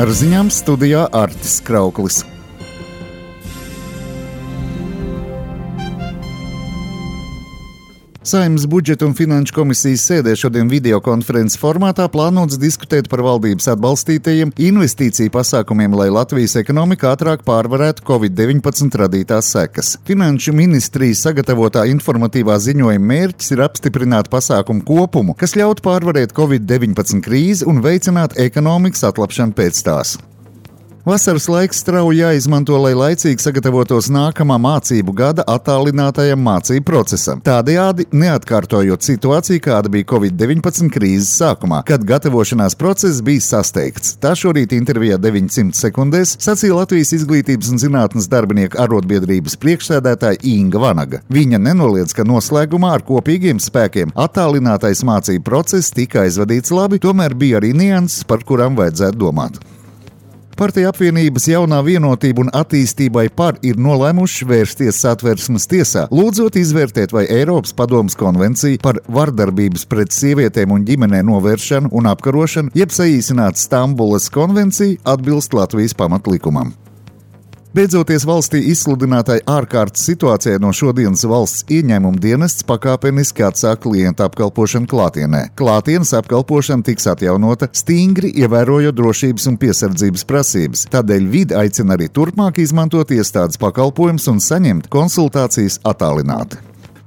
Ar ziņām studijā Artis Krauklis. Saeimas budžeta un finanšu komisijas sēdē šodien videokonferences formātā plānots diskutēt par valdības atbalstītajiem investīciju pasākumiem, lai Latvijas ekonomika ātrāk pārvarētu Covid-19 radītās sekas. Finanšu ministrijas sagatavotā informatīvā ziņojuma mērķis ir apstiprināt pasākumu kopumu, kas ļautu pārvarēt Covid-19 krīzi un veicināt ekonomikas atlapšanu pēc tās. Vasaras laiks strauji jāizmanto, lai laicīgi sagatavotos nākamā mācību gada attālinātajam mācību procesam. Tādējādi neatkārtojot situāciju, kāda bija Covid-19 krīzes sākumā, kad gatavošanās process bija sasteigts. Tā šorīt intervijā 900 sekundēs sacīja Latvijas Izglītības un zinātnes darbinieku arotbiedrības priekšsēdētāja Inga Vanaga. Viņa nenoliedz, ka noslēgumā ar kopīgiem spēkiem attālinātais mācību process tika aizvadīts labi, tomēr bija arī nianses, par kurām vajadzētu domāt. Partija apvienības jaunā vienotība un attīstībai par ir nolēmuši vērsties Satversmes tiesā, lūdzot izvērtēt, vai Eiropas padomes konvencija par vardarbības pret sievietēm un ģimenē novēršanu un apkarošanu, jeb saīsināta Stambulas konvencija, atbilst Latvijas pamatlikumam. Beidzoties valstī izsludinātai ārkārtas situācijai, no šodienas valsts ieņēmuma dienests pakāpeniski atsāk klientu apkalpošanu klātienē. Klātienes apkalpošana tiks atjaunota, stingri ievērojot drošības un piesardzības prasības. Tādēļ vide aicina arī turpmāk izmantot iestādes pakalpojumus un saņemt konsultācijas attālināti.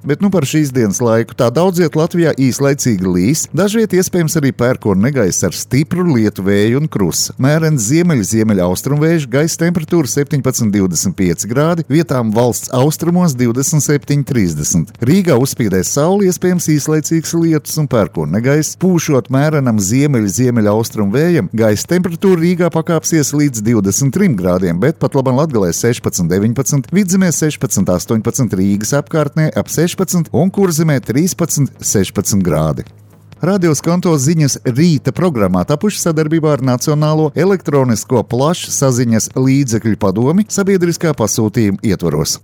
Bet par šīs dienas laiku tā daudziet Latvijā īslaicīgi līs, dažviet iespējams arī pērkona negaiss ar stipru lietu vēju un krusu. Mērens ziemeļaustrumvējš, gaisa temperatūra 17–25 grādi, vietām valsts austrumos 27–30. Rīgā uzspīdēs saule, iespējams īslaicīgs lietus un pērkona negaiss. Pūšot mērenam ziemeļaustrumvējam, gaisa temperatūra Rīgā pakāpsies līdz 23 grādiem, bet pat labam Latgalē 16–19, Vidzemē 16–18, Rīgas apkārtnē ap 16 un Kurzemē 13–16 grādi. Radio Skanto ziņas rīta programmā tapuši sadarbībā ar Nacionālo elektronisko plašsaziņas līdzekļu padomi sabiedriskā pasūtījuma ietvaros.